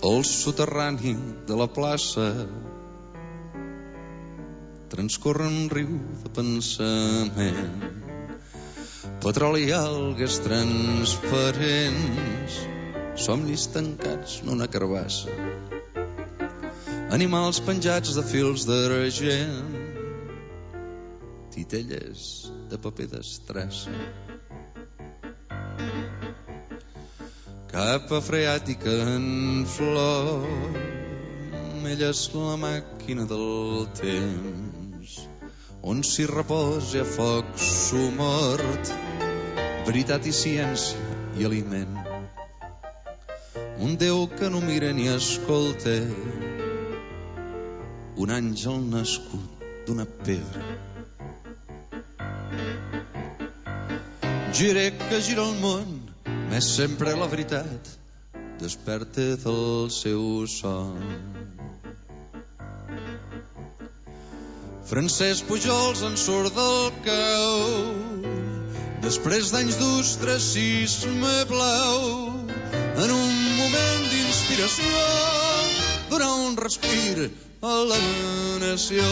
Al soterrani de la plaça transcorre un riu de pensament, petroli i algues transparents, somnis tancats en una carbassa, animals penjats de fils d'argent, titelles de paper d'estrassa, capa freàtica en flor, ella és la màquina del temps, on s'hi reposa a foc sumort, veritat i ciència i aliment. Un Déu que no mira ni escolta, un àngel nascut d'una pedra. Giré que gira el món, més sempre la veritat desperta del seu son. Francesc Pujols en surt del cau, després d'anys d'ostracisme blau, en un moment d'inspiració, donar un respir a la nació.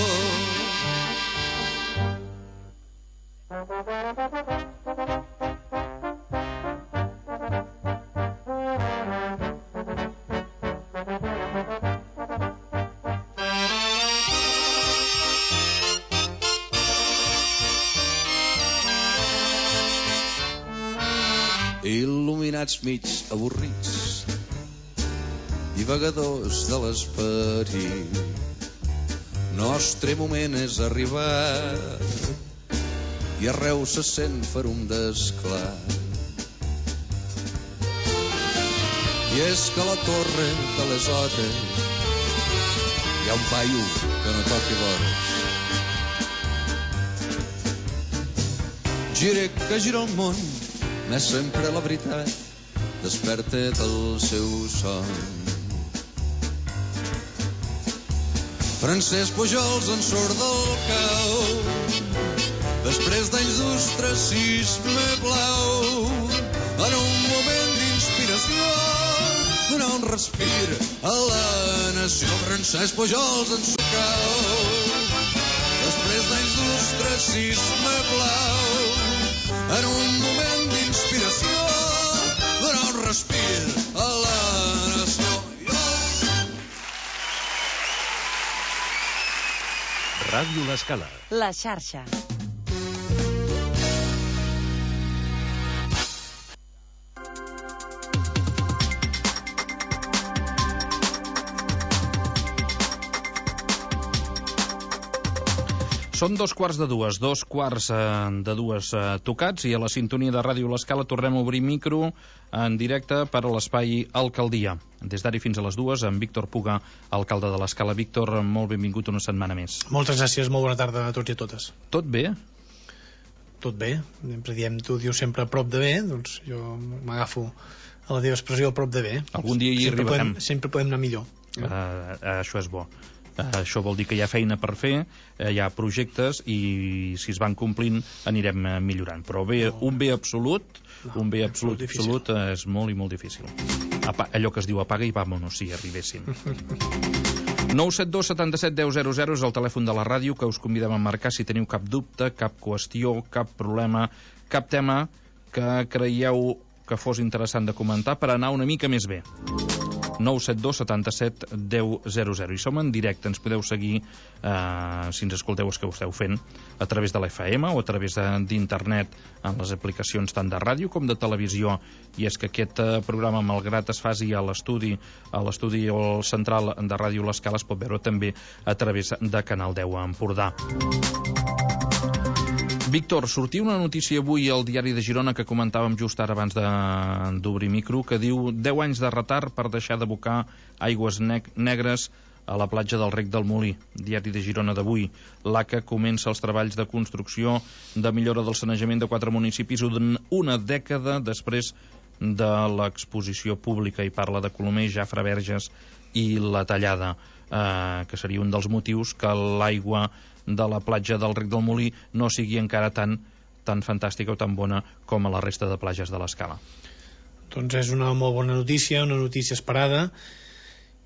Il·luminats mig avorrits, divagadors de l'esperit, nostre moment és arribat i arreu se sent ferum d'esclar. I és que a la torre de les hores hi ha un paio que no toqui vores. Gira que gira el món, més sempre la veritat desperta del seu son. Francesc Pujols en surt del cau, després d'anys d'ostracisme blau, en un moment d'inspiració, donar un respir a la nació. Francesc Pujols en surt del cau, després d'anys d'ostracisme blau, en un moment d'inspiració, donar un respir a la nació. Ràdio L'Escala. La xarxa. Són 2:15, 2:15 tocats, i a la sintonia de Ràdio L'Escala tornem a obrir micro en directe per a l'espai Alcaldia. Des d'ara fins a les 2, amb Víctor Puga, alcalde de l'Escala. Víctor, molt benvingut una setmana més. Moltes gràcies, molt bona tarda a tots i a totes. Tot bé? Tot bé, sempre diem, tu dius sempre a prop de bé, doncs jo m'agafo a la teva expressió a prop de bé. Algun dia hi arribarem. Sempre podem anar millor. Això és bo. Això vol dir que hi ha feina per fer, hi ha projectes, i si es van complint anirem millorant. Però bé, un bé absolut és molt i molt difícil. Allò que es diu apaga i vámonos, si arribessin. 972 77 10 00 és el telèfon de la ràdio, que us convidem a marcar si teniu cap dubte, cap qüestió, cap problema, cap tema que creieu que fos interessant de comentar per anar una mica més bé. 972 77 10 00. I som en directe, ens podeu seguir si ens escolteu els que ho esteu fent a través de la FM o a través d'internet en les aplicacions tant de ràdio com de televisió. I és que aquest programa, malgrat es faci a l'estudi o al central de Ràdio L'Escala, es pot veure també a través de Canal 10 a Empordà. Víctor, sortia una notícia avui al diari de Girona que comentàvem just ara abans d'obrir micro, que diu 10 anys de retard per deixar d'abocar aigües negres a la platja del Rec del Molí. Diari de Girona d'avui. L'ACA comença els treballs de construcció de millora del sanejament de 4 municipis una dècada després de l'exposició pública, i parla de Colomer, Jafre, Verges i la Tallada, que seria un dels motius que l'aigua de la platja del Rec del Molí no sigui encara tant tan fantàstica o tan bona com a la resta de platges de l'Escala. Doncs és una molt bona notícia, una notícia esperada,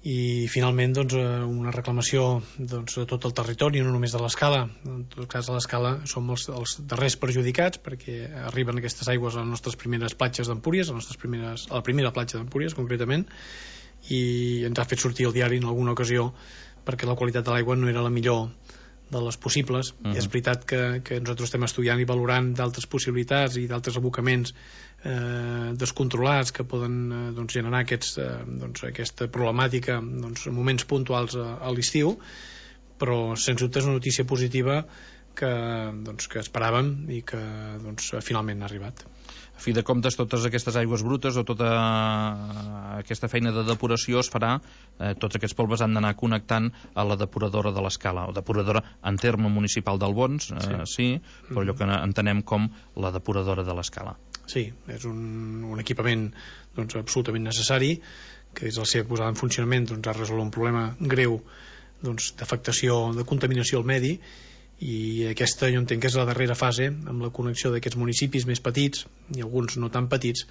i finalment doncs, una reclamació doncs, de tot el territori, no només de l'Escala. En tot cas, a l'Escala som els darrers perjudicats, perquè arriben aquestes aigües a les nostres primeres platges d'Empúries, a la primera platja d'Empúries concretament, i ens ha fet sortir al diari en alguna ocasió perquè la qualitat de l'aigua no era la millor de les possibles. I és veritat que nosaltres estem estudiant i valorant d'altres possibilitats i d'altres abocaments descontrolats que poden generar aquesta problemàtica en moments puntuals a l'estiu, però sens dubte és una notícia positiva que esperàvem i que finalment ha arribat. A fi de comptes, totes aquestes aigües brutes o tota aquesta feina de depuració es farà, tots aquests polves han d'anar connectant a la depuradora de l'Escala, o depuradora en terme municipal d'Albons, sí, però allò que entenem com la depuradora de l'Escala. Sí, és un equipament absolutament necessari, que és la seva posada en funcionament ha resolt un problema greu d'afectació, de contaminació al medi, i aquesta jo entenc que és la darrera fase amb la connexió d'aquests municipis més petits i alguns no tan petits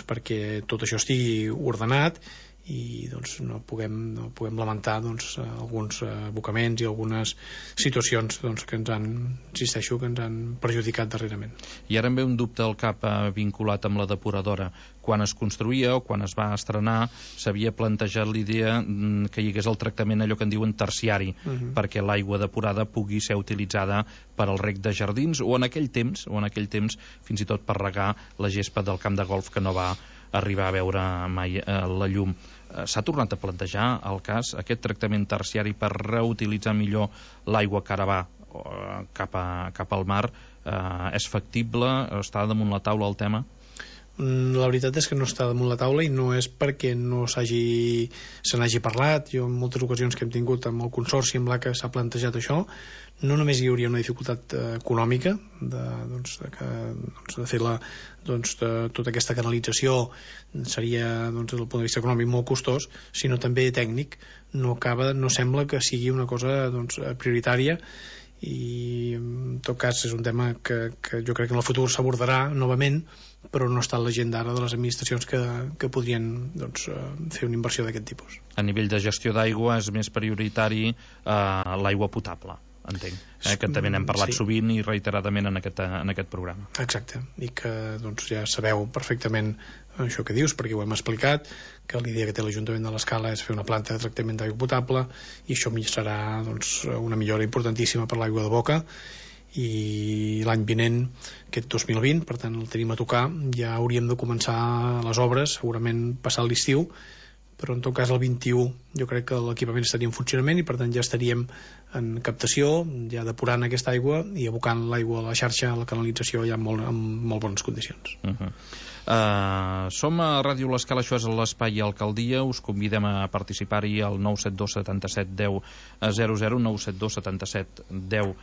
perquè tot això estigui ordenat i no puguem lamentar alguns abocaments i algunes situacions que ens han perjudicat darrerament. I ara em ve un dubte al cap vinculat amb la depuradora. Quan es construïa o quan es va estrenar s'havia plantejat l'idea que hi hagués el tractament allò que en diuen terciari, perquè l'aigua depurada pugui ser utilitzada per al reg de jardins o en aquell temps fins i tot per regar la gespa del camp de golf que no va arribar a veure mai la llum. S'ha tornat a plantejar el cas, aquest tractament terciari per reutilitzar millor l'aigua que ara va cap al mar, és factible? Està damunt la taula el tema? La veritat és que no està damunt la taula i no és perquè no se n'hagi parlat. Jo en moltes ocasions que hem tingut amb el consorci amb l'ACA s'ha plantejat això. No només hi hauria una dificultat econòmica de fer tota aquesta canalització, seria des del punt de vista econòmic molt costós, sinó també tècnic. No sembla que sigui una cosa prioritària, i en tot cas és un tema que jo crec que en el futur s'abordarà novament, però no està a l'agenda ara de les administracions que podrien fer una inversió d'aquest tipus. A nivell de gestió d'aigua és més prioritari l'aigua potable, entenc, que també n'hem parlat sovint i reiteradament en aquest programa. Exacte, i que ja sabeu perfectament això que dius, perquè ho hem explicat, que l'idea que té l'Ajuntament de l'Escala és fer una planta de tractament d'aigua potable, i això serà una millora importantíssima per l'aigua de boca, i l'any vinent, aquest 2020, per tant el tenim a tocar, ja hauríem de començar les obres, segurament passat l'estiu, però en tot cas el 21 jo crec que l'equipament estaria en funcionament i per tant ja estaríem en captació, ja depurant aquesta aigua i abocant l'aigua a la xarxa, a la canalització ja en molt bones condicions. Som a Ràdio L'Escala, això és l'Espai Alcaldia, us convidem a participar-hi al 972 77 10 00, 972 77 10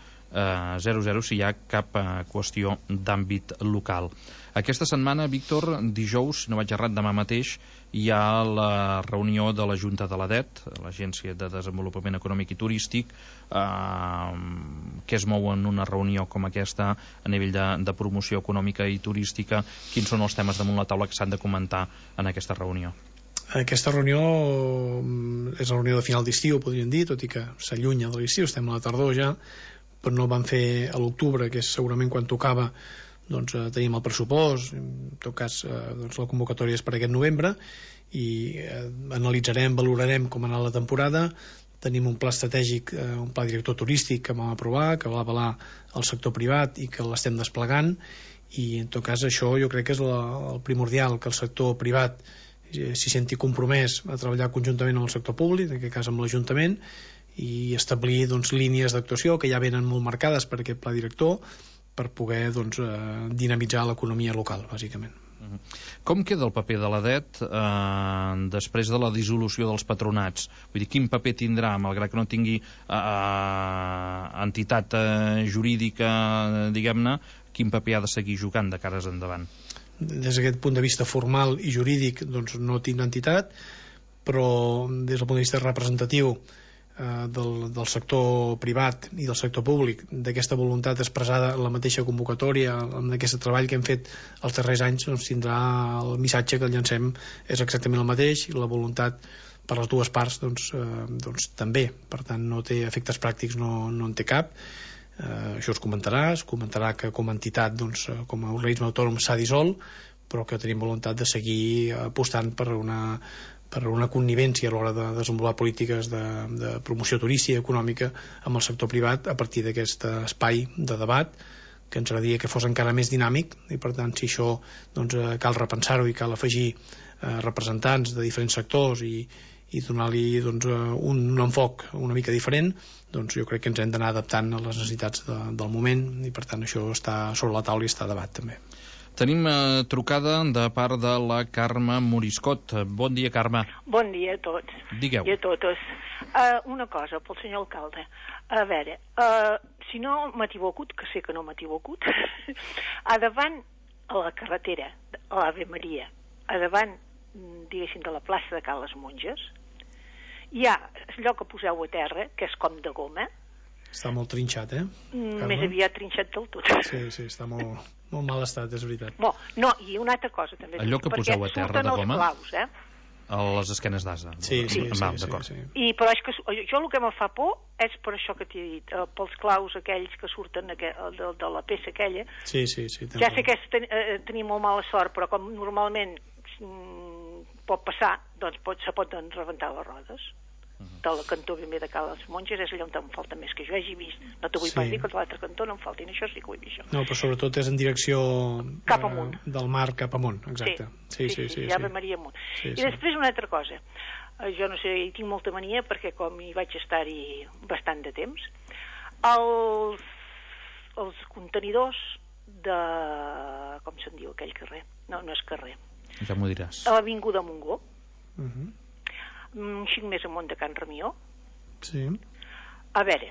00 si hi ha cap qüestió d'àmbit local. Aquesta setmana, Víctor, dijous, si no vaig errat, demà mateix hi ha la reunió de la Junta de l'ADET, l'Agència de Desenvolupament Econòmic i Turístic, que es mou en una reunió com aquesta a nivell de promoció econòmica i turística. Quins són els temes damunt la taula que s'han de comentar en aquesta reunió? Aquesta reunió és la reunió de final d'estiu, podríem dir, tot i que s'allunya de l'estiu, estem a la tardor ja, però no el van fer a l'octubre, que és segurament quan tocava tenim el pressupost, en tot cas la convocatòria és per aquest novembre, i analitzarem, valorarem com ha anat la temporada. Tenim un pla estratègic, un pla director turístic que vam aprovar, que va avalar el sector privat i que l'estem desplegant, i en tot cas això jo crec que és el primordial, que el sector privat s'hi senti compromès a treballar conjuntament amb el sector públic, en aquest cas amb l'Ajuntament, i establir línies d'actuació que ja venen molt marcades per aquest pla director, per poder dinamitzar l'economia local, bàsicament. Com queda el paper de l'ADET després de la dissolució dels patronats? Vull dir, quin paper tindrà, malgrat que no tingui entitat jurídica, diguem-ne, quin paper ha de seguir jugant de cares endavant? Des d'aquest punt de vista formal i jurídic no tindrà entitat, però des del punt de vista representatiu del sector privat i del sector públic, d'aquesta voluntat expressada en la mateixa convocatòria, en aquest treball que hem fet els darrers anys, doncs tindrà el missatge que llancem és exactament el mateix, i la voluntat per les dues parts doncs també, per tant no té efectes pràctics, no en té cap. Això es comentarà que com a entitat, doncs, com a organisme autònom s'ha dissolt, però que tenim voluntat de seguir apostant per una connivència a l'hora de desenvolupar polítiques de promoció turística i econòmica amb el sector privat a partir d'aquest espai de debat que ens agradaria que fos encara més dinàmic, i per tant si això doncs, cal repensar-ho i cal afegir representants de diferents sectors i donar-li doncs, un enfoc una mica diferent, doncs jo crec que ens hem d'anar adaptant a les necessitats del moment, i per tant això està sobre la taula i està a debat també. Tenim trucada de part de la Carme Moriscot. Bon dia, Carme. Bon dia a tots. Digueu. I a totes. Una cosa pel senyor alcalde. A veure, si no m'he equivocat, que sé que no m'he equivocat, a davant a la carretera, a l'Ave Maria, a davant, diguéssim, de la plaça de Cal les Monges, hi ha allò que poseu a terra, que és com de goma. Està molt trinxat, Més aviat trinxat del tot. Sí, està molt mal estat, és veritat. No, i una altra cosa també. Allò que poseu a terra de goma? Claus, a les esquenes d'asa. Sí. D'acord. Però és que jo el que me fa por és per això que t'he dit, pels claus aquells que surten de la peça aquella. Sí. Ja sé que tenim molt mala sort, però com normalment pot passar, doncs se poden rebentar les rodes. Del cantó ben bé de Cal les Monges és allà on em falta més que jo hagi vist. No t'ho vull pas dir que a l'altre cantó no em faltin, això sí que ho he vist. No, però sobretot és en direcció cap amunt, del mar cap amunt, exacte. Sí, Ave Maria amunt. I després una altra cosa, jo no sé, hi tinc molta mania perquè com hi vaig estar-hi bastant de temps, els contenidors de... com se'n diu aquell carrer? No és carrer. Ja m'ho diràs. A l'Avinguda Montgó. Un xic més amunt de Can Ramió. Sí. A veure,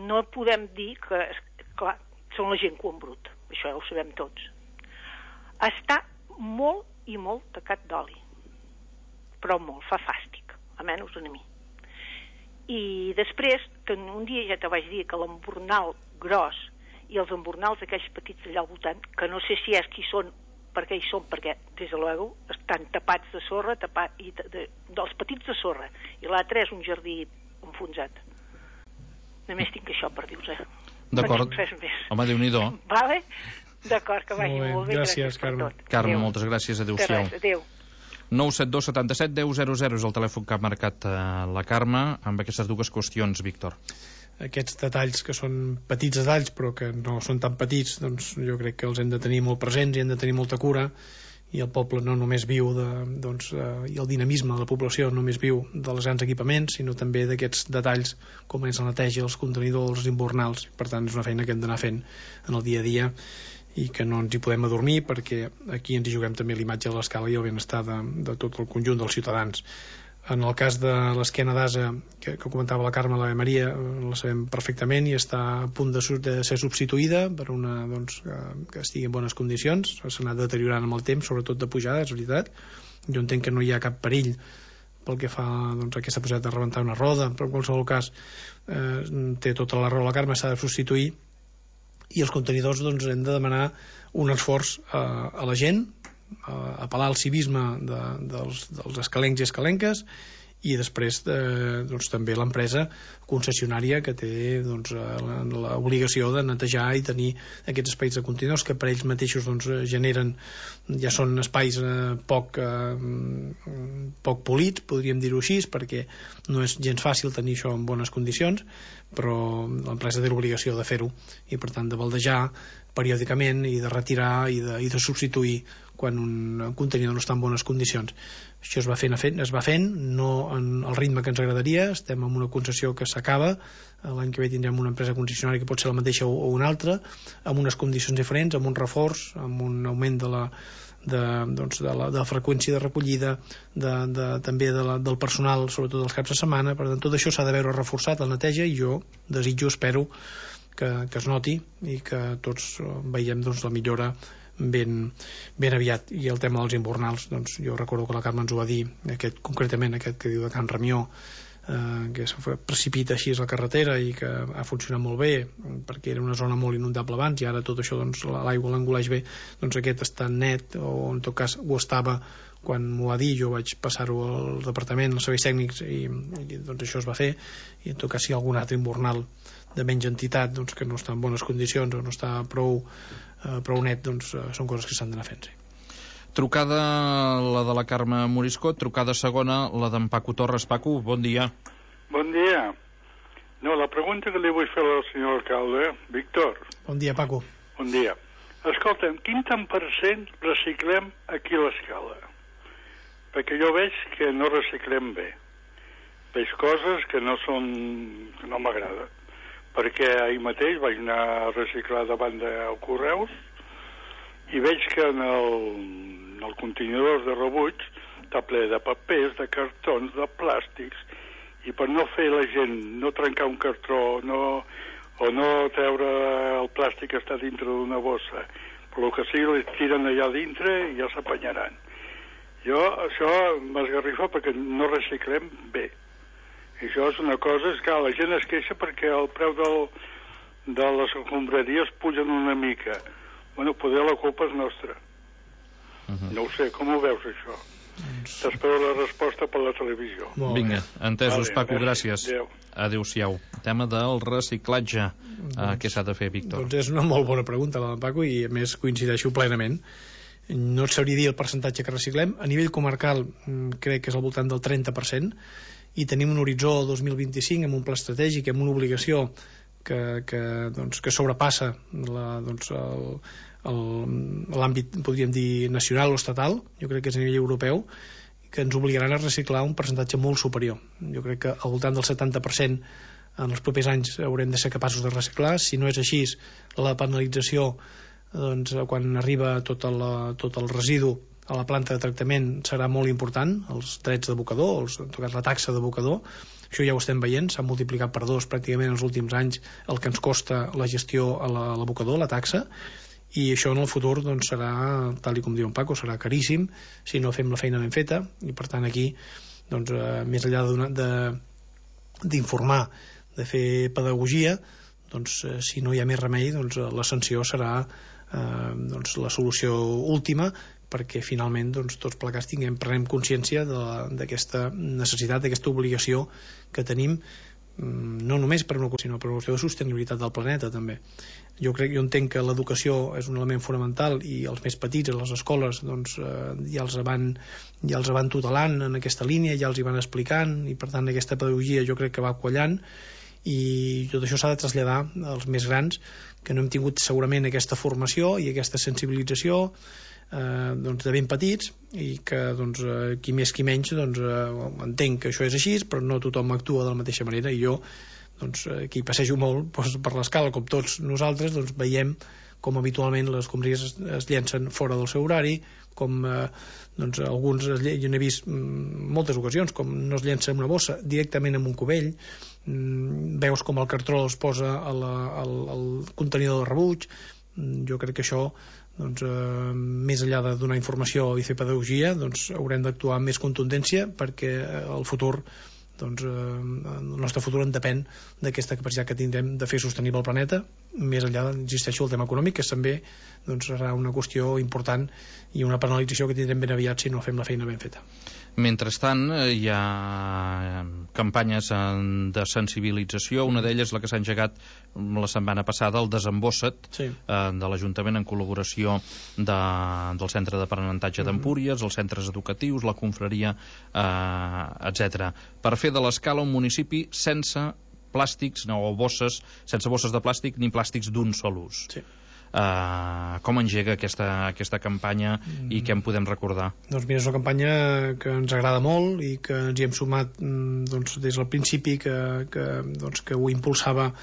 no podem dir que, clar, són la gent cua en brut, això ja ho sabem tots. Està molt i molt tacat d'oli, però molt, fa fàstic, almenys a mi. I després, un dia ja te vaig dir que l'embornal gros i els embornals aquells petits allà al voltant, que no sé si és qui són, perquè hi són, perquè, des de luego, estan tapats de sorra, dels petits de sorra, i l'altre és un jardí enfonsat. Només tinc això per dir-vos, D'acord. Home, Déu-n'hi-do. Vale? D'acord, que vagi molt bé. Gràcies, Carme. Carme, moltes gràcies. Adéu-siau. Adéu. 972 77 10 00 és el telèfon que ha marcat la Carme amb aquestes dues qüestions, Víctor. Aquests detalls que són petits detalls però que no són tan petits, doncs jo crec que els hem de tenir molt presents i hem de tenir molta cura, i el poble no només viu i el dinamisme de la població no només viu dels grans equipaments, sinó també d'aquests detalls com és la neteja, els contenidors, els imbornals. Per tant, és una feina que hem d'anar fent en el dia a dia i que no ens hi podem adormir, perquè aquí ens hi juguem també l'imatge de l'escala i el benestar de tot el conjunt dels ciutadans. En el cas de l'esquena d'asa que comentava la Carme, l'Ave Maria, la sabem perfectament i està a punt de ser substituïda per una que estigui en bones condicions. S'ha anat deteriorant amb el temps, sobretot de pujada, és veritat. Jo entenc que no hi ha cap perill pel que fa a aquesta possibilitat de rebentar una roda, però en qualsevol cas té tota la raó la Carme, s'ha de substituir, i els contenidors hem de demanar un esforç a la gent, apel·lar al civisme dels escalencs i escalenques, i després també l'empresa concessionària que té l'obligació de netejar i tenir aquests espais de contenidors que per ells mateixos generen, ja són espais poc polits, podríem dir-ho així, perquè no és gens fàcil tenir això en bones condicions, però l'empresa té l'obligació de fer-ho i per tant de baldejar periòdicament i de retirar i de substituir quan un contenidor no està en bones condicions. Això es va fent, no en el ritme que ens agradaria. Estem en una concessió que s'acaba, l'any que ve tindrem una empresa concessionària que pot ser la mateixa o una altra, amb unes condicions diferents, amb un reforç, amb un augment de la freqüència de recollida, també del personal, sobretot dels caps de setmana. Per tant, tot això s'ha de veure reforçat, la neteja, i jo espero que es noti i que tots veiem la millora ben aviat. I el tema dels imbornals, jo recordo que la Carme ens ho va dir, concretament aquest que diu de Can Ramió, que es precipita així a la carretera i que ha funcionat molt bé perquè era una zona molt inundable abans i ara tot això doncs, l'aigua l'engoleix bé, doncs aquest està net, o en tot cas ho estava quan m'ho va dir, jo vaig passar-ho al departament, als serveis tècnics i doncs això es va fer, i en tot cas si hi ha algun altre imbornal de menys entitat doncs, que no està en bones condicions o no està prou net, doncs són coses que s'han d'anar fent, sí. Trucada la de la Carme Moriscot, trucada segona la d'en Paco Torres. Paco, bon dia. Bon dia. No, la pregunta que li vull fer al senyor alcalde, Víctor. Bon dia, Paco. Bon dia. Escolta'm, quin tant per cent reciclem aquí a l'Escala? Perquè jo veig que no reciclem bé. Veig coses que no m'agrada. Perquè ahir mateix vaig anar a reciclar davant del Correus i veig que en el contenidor de rebuig està ple de papers, de cartons, de plàstics, i per no fer la gent no trencar un cartró o no treure el plàstic que està dintre d'una bossa, però el que sigui li tiren allà dintre i ja s'apanyaran. Jo això m'esgarrifa perquè no reciclem bé. I això és una cosa, és que la gent es queixa perquè el preu de les escombraries pugen una mica. Bueno, poder la culpa és nostra. No ho sé, com ho veus, això? T'espero la resposta per la televisió. Vinga, entesos, Paco, gràcies. Adéu. Adéu-siau. Tema del reciclatge. Què s'ha de fer, Víctor? Doncs és una molt bona pregunta, la de Paco, i a més coincideixo plenament. No et sabria dir el percentatge que reciclem. A nivell comarcal crec que és al voltant del 30%, i tenim un horitzó 2025 amb un pla estratègic, amb una obligació que sobrepassa l'àmbit, podríem dir, nacional o estatal. Jo crec que és a nivell europeu, que ens obligaran a reciclar un percentatge molt superior. Jo crec que al voltant del 70% en els propers anys haurem de ser capaços de reciclar. Si no és així, la penalització, doncs, quan arriba tot el residu a la planta de tractament serà molt important, els drets d'abocador, en tot cas la taxa d'abocador. Això ja ho estem veient, s'ha multiplicat per 2 pràcticament en els últims anys el que ens costa la gestió a l'abocador, la taxa, i això en el futur doncs, serà, tal com diu en Paco, serà caríssim si no fem la feina ben feta, i per tant aquí doncs, més enllà d'informar, de fer pedagogia, doncs, si no hi ha més remei, doncs, la sanció serà doncs, la solució última, perquè finalment doncs, tots plegats prenem consciència d'aquesta necessitat, d'aquesta obligació que tenim, no només per una qüestió, sinó per una qüestió de sostenibilitat del planeta també. Jo entenc que l'educació és un element fonamental, i els més petits a les escoles doncs, ja els van tutelant en aquesta línia, ja els hi van explicant, i per tant aquesta pedagogia jo crec que va quallant, i tot això s'ha de traslladar als més grans, que no hem tingut segurament aquesta formació i aquesta sensibilització doncs, de ben petits, i que doncs, qui més qui menys doncs, entenc que això és així, però no tothom actua de la mateixa manera, i jo doncs, aquí passejo molt doncs, per l'Escala, com tots nosaltres, doncs, veiem com habitualment les escombraries es llencen fora del seu horari, com doncs, alguns jo n'he vist moltes ocasions com no es llença en una bossa, directament en un cubell. Veus com el cartró es posa al contenidor de rebuig. Jo crec que això doncs, més enllà de donar informació i fer pedagogia, doncs, haurem d'actuar amb més contundència, perquè el futur doncs, el nostre futur en depèn d'aquesta capacitat que tindrem de fer sostenible el planeta, més enllà, insisteixo, el tema econòmic, que també doncs, serà una qüestió important i una penalització que tindrem ben aviat si no fem la feina ben feta. Mentrestant, hi ha campanyes de sensibilització. Una d'elles, la que s'ha engegat la setmana passada, el Desembossa't, sí, de l'Ajuntament en col·laboració del Centre d'Aprenentatge d'Empúries, els centres educatius, la confraria, etc. Per fer de l'Escala un municipi sense plàstics o bosses, sense bosses de plàstic ni plàstics d'un sol ús. Sí. Com engega aquesta campanya i què en podem recordar? Doncs mira, és una campanya que ens agrada molt i que ens hi hem sumat doncs, des del principi que ho impulsava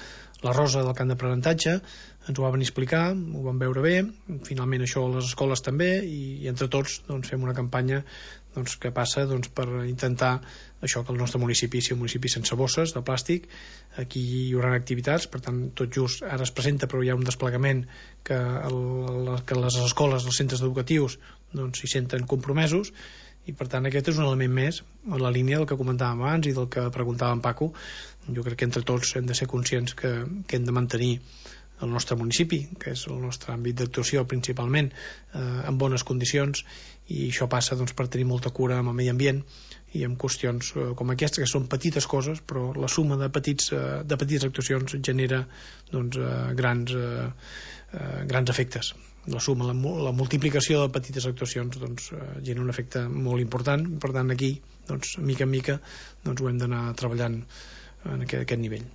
la Rosa del Camp d'Aprenentatge. Ens ho va venir a explicar, ho vam veure bé, finalment això a les escoles també, i entre tots doncs, fem una campanya doncs, que passa per intentar això, que el nostre municipi sigui un municipi sense bosses de plàstic. Aquí hi haurà activitats, per tant tot just ara es presenta, però hi ha un desplegament que les escoles, els centres educatius doncs s'hi senten compromesos, i per tant aquest és un element més en la línia del que comentàvem abans i del que preguntava en Paco. Jo crec que entre tots hem de ser conscients que hem de mantenir el nostre municipi, que és el nostre àmbit d'actuació principalment, en bones condicions, i això passa per tenir molta cura amb el medi ambient i amb qüestions com aquestes, que són petites coses, però la suma de petites actuacions genera grans efectes. La suma, la multiplicació de petites actuacions genera un efecte molt important. Per tant, aquí, mica en mica, ho hem d'anar treballant en aquest nivell.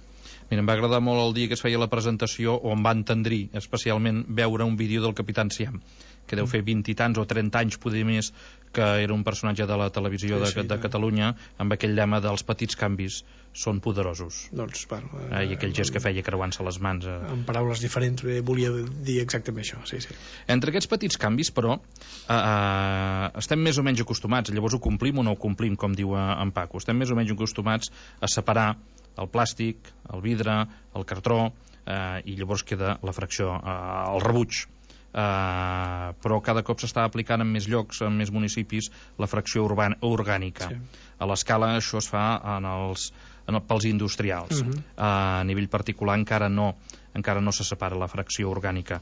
Mira, em va agradar molt el dia que es feia la presentació, o em va entendrir especialment veure un vídeo del Capitán Siam, que deu fer 20 i tants o 30 anys, poder més, que era un personatge de la televisió de Catalunya, amb aquell lema dels petits canvis són poderosos. I aquell gest que feia creuant-se les mans. En paraules diferents volia dir exactament això, sí. Entre aquests petits canvis, però, estem més o menys acostumats, llavors ho complim o no ho complim, com diu en Paco, estem més o menys acostumats a separar el plàstic, el vidre, el cartró, i llavors queda la fracció, el rebuig. Però cada cop s'està aplicant en més llocs, en més municipis, la fracció orgànica. Sí. A l'escala això es fa pels industrials. A nivell particular encara no se separa la fracció orgànica,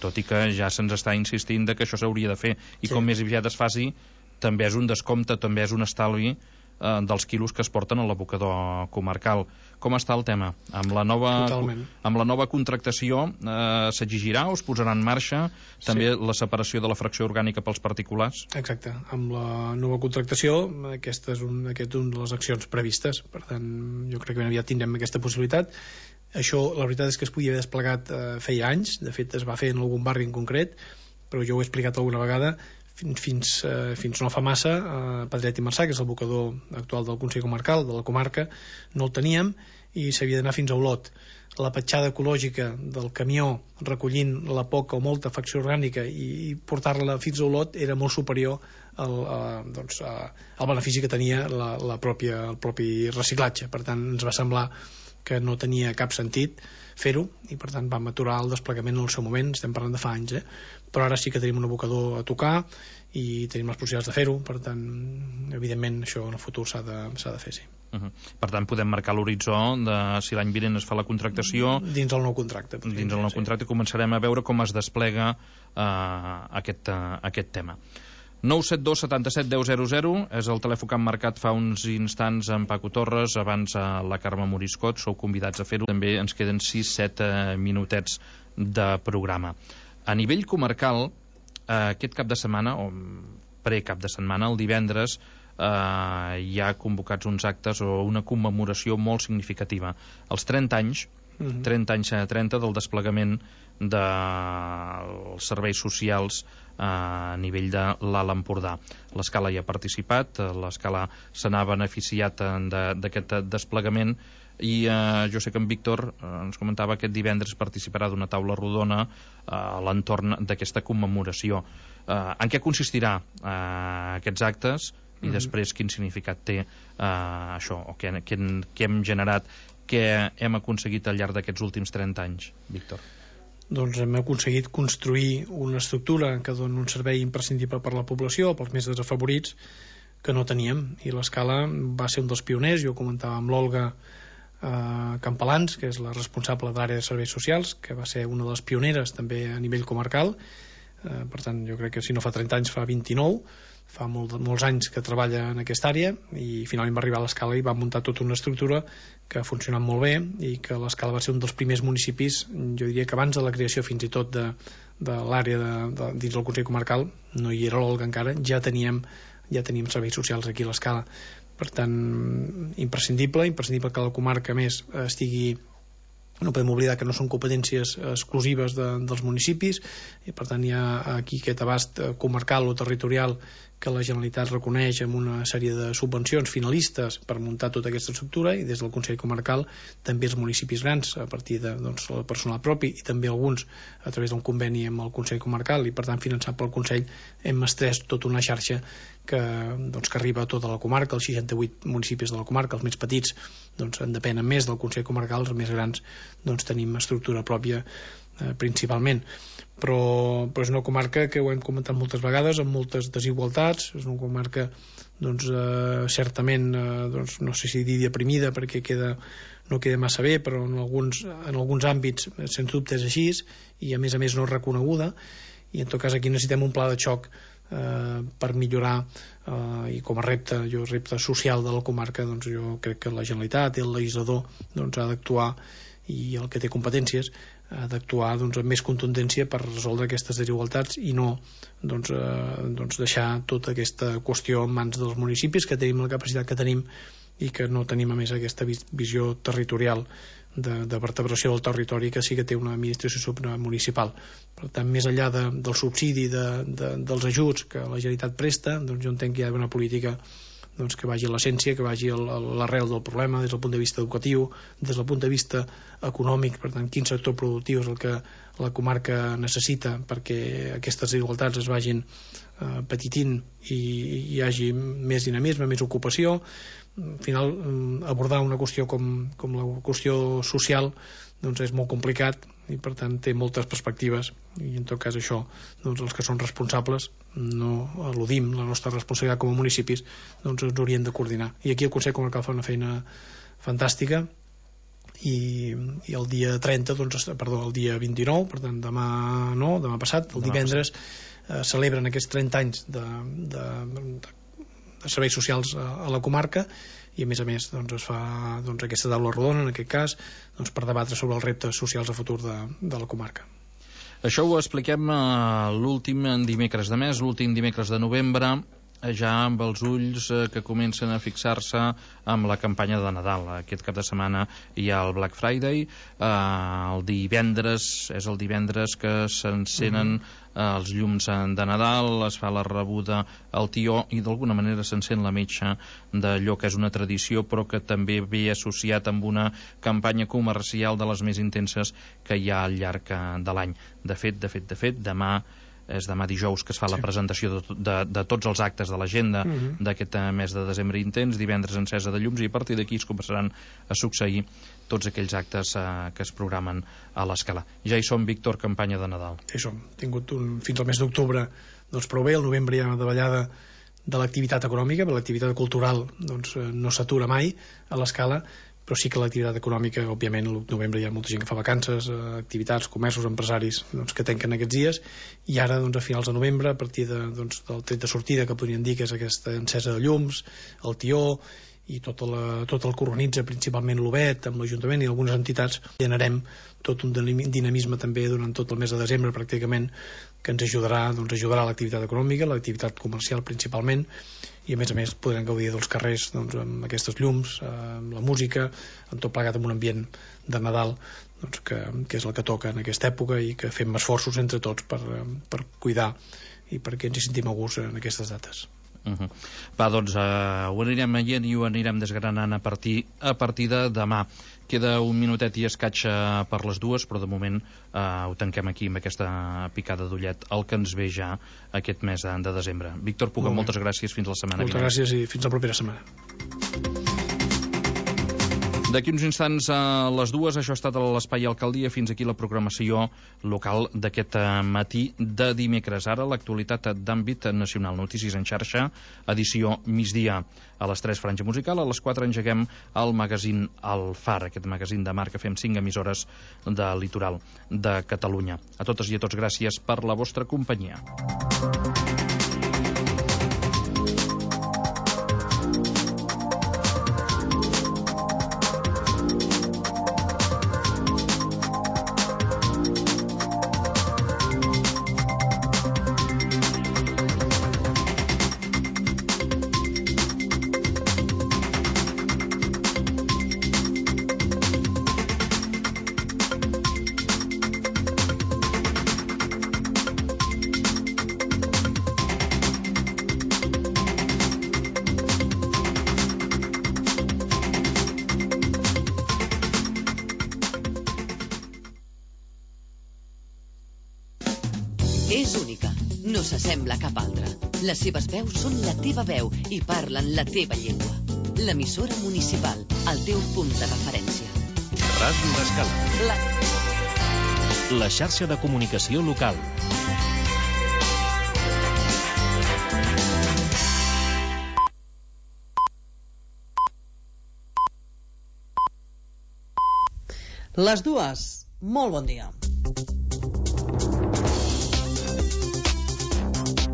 tot i que ja se'ns està insistint que això s'hauria de fer, i com més aviat es faci també és un descompte, també és un estalvi dels quilos que es porten a l'abocador comarcal. Com està el tema? Amb la nova contractació s'exigirà o es posarà en marxa també la separació de la fracció orgànica pels particulars? Exacte. Amb la nova contractació aquesta és una de les accions previstes. Per tant, jo crec que ben aviat tindrem aquesta possibilitat. Això, la veritat és que es podia haver desplegat feia anys. De fet, es va fer en algun barri en concret, però jo ho he explicat alguna vegada. Fins no fa massa, Pedret i Marçà, que és l'abocador actual del Consell Comarcal, de la comarca, no el teníem i s'havia d'anar fins a Olot. La petjada ecològica del camió recollint la poca o molta fracció orgànica i portar-la fins a Olot era molt superior al benefici que tenia el propi reciclatge. Per tant, ens va semblar que no tenia cap sentit fer-ho, i per tant vam aturar el desplegament en el seu moment. Estem parlant de fa anys, però ara sí que tenim un abocador a tocar i tenim les possibilitats de fer-ho. Per tant, evidentment això en el futur s'ha de fer, sí. Per tant, podem marcar l'horitzó de si l'any vinent es fa la contractació dins el nou contracte. Dins el nou contracte començarem a veure com es desplega aquest tema. 972 77 10 00 és el telèfon que han marcat fa uns instants en Paco Torres, abans la Carme Moriscot. Sou convidats a fer-ho. També ens queden 6-7 minutets de programa. A nivell comarcal, aquest cap de setmana, o pre-cap de setmana, el divendres, hi ha convocats uns actes o una commemoració molt significativa. Els 30 anys, 30 del desplegament dels serveis socials a nivell de l'Alt Empordà. L'Escala hi ha participat, l'Escala se n'ha beneficiat d'aquest desplegament, i jo sé que en Víctor ens comentava aquest divendres participarà d'una taula rodona a l'entorn d'aquesta commemoració. En què consistirà aquests actes i després quin significat té això, o què hem generat, què hem aconseguit al llarg d'aquests últims 30 anys, Víctor? Doncs hem aconseguit construir una estructura que doni un servei imprescindible per a la població, pels més desafavorits, que no teníem, i l'Escala va ser un dels pioners. Jo comentava amb l'Olga Campalans, que és la responsable de l'àrea de serveis socials, que va ser una de les pioneres també a nivell comarcal. Per tant, jo crec que si no fa 30 anys fa 29, fa molts anys que treballa en aquesta àrea, i finalment va arribar a l'Escala i va muntar tota una estructura que ha funcionat molt bé, i que l'Escala va ser un dels primers municipis, jo diria que abans de la creació fins i tot de l'àrea dins del Consell Comarcal, no hi era l'Olga encara, ja teníem serveis socials aquí a l'Escala. Per tant, imprescindible que la comarca més estigui no podem oblidar que no són competències exclusives dels municipis i per tant hi ha aquí aquest abast comarcal o territorial que la Generalitat reconeix amb una sèrie de subvencions finalistes per muntar tota aquesta estructura, i des del Consell Comarcal també els municipis grans a partir de el personal propi, i també alguns a través d'un conveni amb el Consell Comarcal i per tant finançat pel Consell, hem estrès tota una xarxa que arriba a tota la comarca, els 68 municipis de la comarca, els més petits en depenen més del Consell Comarcal, els més grans tenim estructura pròpia principalment, però és una comarca que ho hem comentat moltes vegades amb moltes desigualtats, és una comarca certament no sé si dir deprimida perquè no queda massa bé, però en alguns àmbits sens dubte és així, i a més no és reconeguda, i en tot cas aquí necessitem un pla de xoc per millorar, i com a repte social de la comarca, jo crec que la Generalitat i el legislador ha d'actuar, i el que té competències ha d'actuar amb més contundència per resoldre aquestes desigualtats i no deixar tota aquesta qüestió en mans dels municipis, que tenim la capacitat que tenim i que no tenim a més aquesta visió territorial de vertebració del territori que sí que té una administració supramunicipal. Per tant, més enllà del subsidi dels ajuts que la Generalitat presta, jo entenc que hi ha d'haver una política que vagi a l'essència, que vagi a l'arrel del problema des del punt de vista educatiu, des del punt de vista econòmic, per tant, quin sector productiu és el que la comarca necessita perquè aquestes desigualtats es vagin petitint i hi hagi més dinamisme, més ocupació. Al final, abordar una qüestió com la qüestió social és molt complicat i per tant té moltes perspectives, i en tot cas això els que són responsables no eludim la nostra responsabilitat com a municipis, ens haurien de coordinar, i aquí el Consell Comarcal fa una feina fantàstica, i el dia 30 el dia 29, per tant demà passat, el divendres celebren aquests 30 anys de serveis socials a la comarca, i a més es fa aquesta taula rodona en aquest cas per debatre sobre els reptes socials a futur de la comarca. Això ho expliquem l'últim dimecres de mes, l'últim dimecres de novembre, ja amb els ulls que comencen a fixar-se amb la campanya de Nadal. Aquest cap de setmana hi ha el Black Friday, el divendres que s'encenen els llums de Nadal, es fa la rebuda al tió i d'alguna manera s'encén la metxa d'allò que és una tradició però que també ve associat amb una campanya comercial de les més intenses que hi ha al llarg de l'any. De fet, demà dijous que es fa la presentació de tots els actes de l'agenda d'aquest mes de desembre intens, divendres encesa de llums, i a partir d'aquí es començaran a succeir tots aquells actes que es programen a l'escala. Ja hi som, Víctor, campanya de Nadal. Ja hi som, tingut fins al mes d'octubre prou bé, al novembre hi ha una davallada de l'activitat econòmica, però l'activitat cultural no s'atura mai a l'escala, però sí que l'activitat econòmica, òbviament, al novembre hi ha molta gent que fa vacances, activitats, comerços, empresaris que tanquen aquests dies, i ara, a finals de novembre, a partir del tret de sortida, que podríem dir que és aquesta encesa de llums, el tió, i tot el que organitza principalment l'UBET amb l'Ajuntament i algunes entitats, generem tot un dinamisme també durant tot el mes de desembre pràcticament, que ens ajudarà l'activitat econòmica, l'activitat comercial principalment, i a més podrem gaudir dels carrers amb aquestes llums, amb la música, amb tot plegat amb un ambient de Nadal que és el que toca en aquesta època, i que fem esforços entre tots per cuidar i perquè ens hi sentim a gust en aquestes dates. Va, doncs ho anirem veient i ho anirem desgranant a partir de demà. Queda un minutet i escaig per les 2, però de moment ho tanquem aquí amb aquesta picada d'ullet el que ens ve ja aquest mes de desembre. Víctor Puga, moltes gràcies, fins la setmana vinent. Moltes gràcies i fins la propera setmana. D'aquí uns instants a les 2, això ha estat l'Espai Alcaldia. Fins aquí la programació local d'aquest matí de dimecres. Ara l'actualitat d'àmbit nacional, notícies en xarxa, edició migdia. A les 3, franja musical, a les 4 engeguem el magazín El Far, aquest magazín de mar que fem 5 emissores de litoral de Catalunya. A totes i a tots, gràcies per la vostra companyia. És única, no s'assembla a cap altra. Les seves veus són la teva veu i parlen la teva llengua. L'emissora municipal, el teu punt de referència. Ràdio L'Escala. La xarxa de comunicació local. Les dues. Molt bon dia.